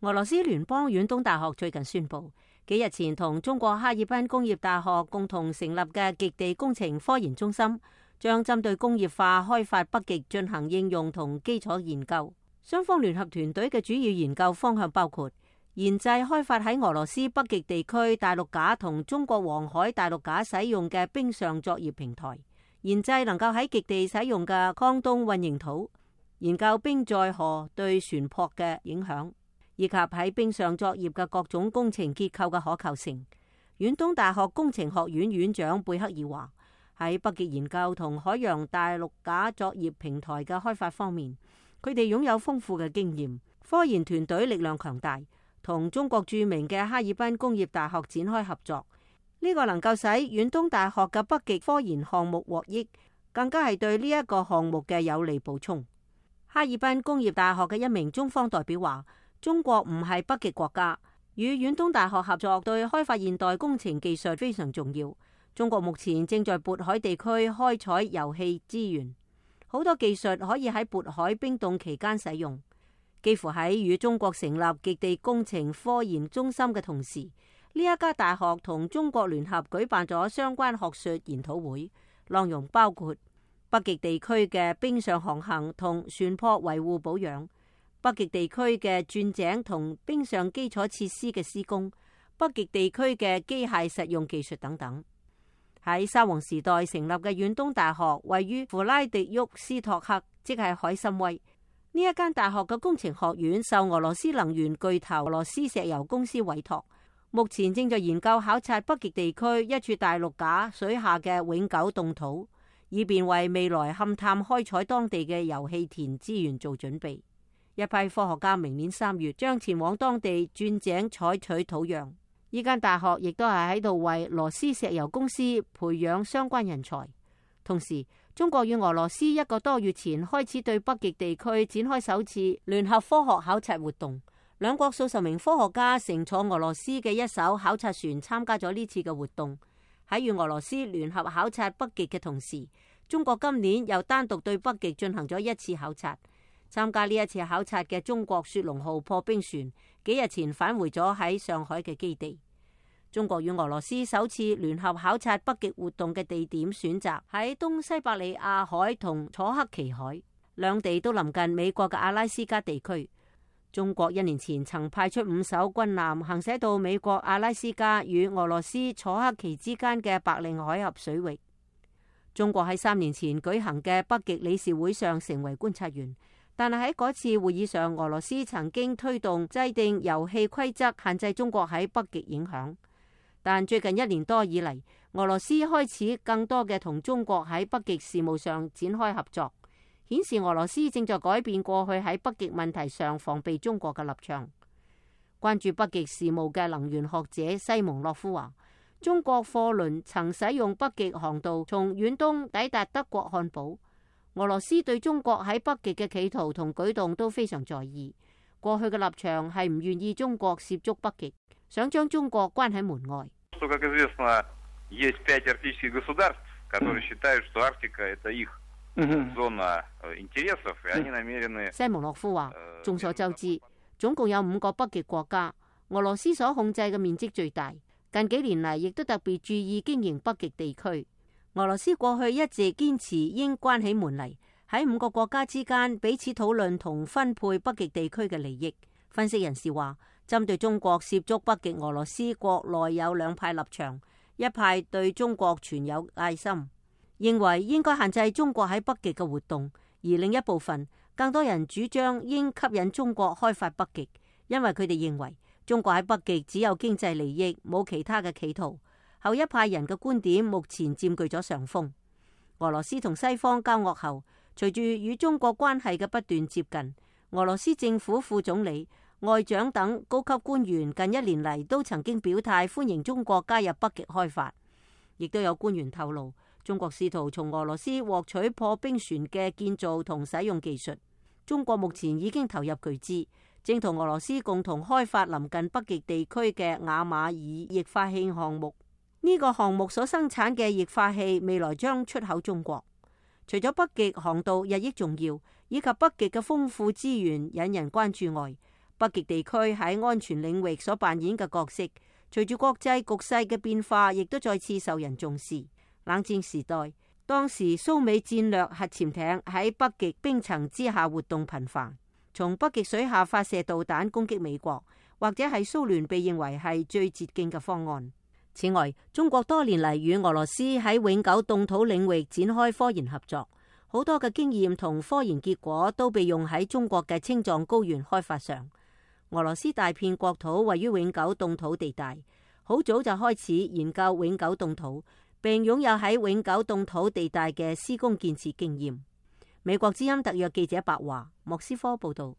俄羅斯聯邦遠東大學最近宣布，幾日前同中國哈爾濱工業大學共同成立嘅極地工程科研中心，將針對工業化開發北極進行應用同基礎研究。雙方聯合團隊嘅主要研究方向包括研製開發喺俄羅斯北極地區大陸架同中國黃海大陸架使用嘅冰上作業平台，研製能夠喺極地使用嘅抗凍混凝土，研究冰載荷對船舶嘅影響，以及喺冰上作業嘅各種工程結構嘅可靠性。遠東大學工程學院院長貝克爾話：喺北極研究同海洋大陸架作業平台嘅開發方面，佢哋擁有豐富嘅經驗，科研團隊力量強大，同中國著名嘅哈爾濱工業大學展開合作。呢個能夠使遠東大學嘅北極科研項目獲益，更加係對呢一個項目嘅有利補充。哈爾濱工業大學嘅一名中方代表話：中國唔係北極國家，與遠東大學合作對開發現代工程技術非常重要。中國目前正在渤海地區開採油氣資源，好多技術可以喺渤海冰凍期間使用。幾乎喺與中國成立極地工程科研中心嘅同時，呢一家大學同中國聯合舉辦咗相關學術研討會，內容包括北極地區嘅冰上航行同船舶維護保養，北極地區嘅鑽井同冰上基礎設施嘅施工，北極地區嘅機械實用技術等等。喺沙皇時代成立嘅遠東大學位於弗拉迪沃斯托克，即係海參崴。呢一間大學嘅工程學院受俄羅斯能源巨頭俄羅斯石油公司委託，目前正在研究考察北極地區一處大陸架水下嘅永久凍土，以便為未來勘探開採當地嘅油氣田資源做準備。一批科學家明年3月將前往當地鑽井採取土壤。呢間大學亦都係喺度為羅斯石油公司培養相關人才。同時，中國與俄羅斯1個多月前開始對北極地區展開首次聯合科學考察活動，兩國數十名科學家乘坐俄羅斯嘅一艘考察船參加咗呢次嘅活動。喺與俄羅斯聯合考察北極嘅同時，中國今年又單獨對北極進行咗1次考察。參加呢一次考察嘅中國雪龍號破冰船幾日前返回咗喺上海嘅基地。中國與俄羅斯首次聯合考察北極活動嘅地點選擇喺東西伯利亞海同楚克奇海，兩地都臨近美國嘅阿拉斯加地區。中國1年前曾派出5艘軍艦行駛到美國阿拉斯加與俄羅斯楚克奇之間嘅白令海峽水域。中國喺3年前舉行嘅北極理事會上成為觀察員，但係喺嗰次會議上，俄羅斯曾經推動制定遊戲規則，限制中國喺北極影響。但最近1年多以嚟，俄羅斯開始更多嘅同中國喺北極事務上展開合作，顯示俄羅斯正在改變過去喺北極問題上防備中國嘅立場。關注北極事務嘅能源學者西蒙諾夫話：中國貨輪曾使用北極航道從遠東抵達德國漢堡。俄羅斯對中國喺北極嘅企圖同舉動都非常在意。過去嘅立場係唔願意中國涉足北極，想將中國關喺門外。西蒙諾夫話：眾所周知，總共有5個北極國家，俄羅斯所控制嘅面積最大。近幾年嚟，亦都特別注意經營北極地區。俄羅斯過去一直堅持應關起門嚟，喺5個國家之間彼此討論同分配北極地區嘅利益。分析人士話，針對中國涉足北極，俄羅斯國內有2派立場，一派對中國存有戒心，認為應該限制中國喺北極嘅活動；而另一部分，更多人主張應吸引中國開發北極，因為佢哋認為中國喺北極只有經濟利益，冇其他嘅企圖。後一派人嘅觀點目前佔據咗上風。俄羅斯同西方交惡後，隨住與中國關係嘅不斷接近，俄羅斯政府副總理、外長等高級官員近1年嚟都曾經表態歡迎中國加入北極開發。亦都有官員透露，中國試圖從俄羅斯獲取破冰船嘅建造同使用技術。中國目前已經投入巨資，正同俄羅斯共同開發臨近北極地區嘅雅馬爾液化氣項目。呢個項目所生產嘅液化氣未來將出口中國。除咗北極航道日益重要，以及北極嘅豐富資源引人關注外，北極地區喺安全領域所扮演嘅角色，隨住國際局勢嘅變化，亦都再次受人重視。冷戰時代，當時蘇美戰略核潛艇喺北極冰層之下活動頻繁，從北極水下發射導彈攻擊美國，或者係蘇聯被認為係最捷徑嘅方案。此外，中國多年嚟與俄羅斯喺永久凍土領域展開科研合作，好多嘅經驗同科研結果都被用喺中國嘅青藏高原開發上。俄羅斯大片國土位於永久凍土地帶，好早就開始研究永久凍土，並擁有喺永久凍土地帶嘅施工建設經驗。美國之音特約記者白華，莫斯科報道。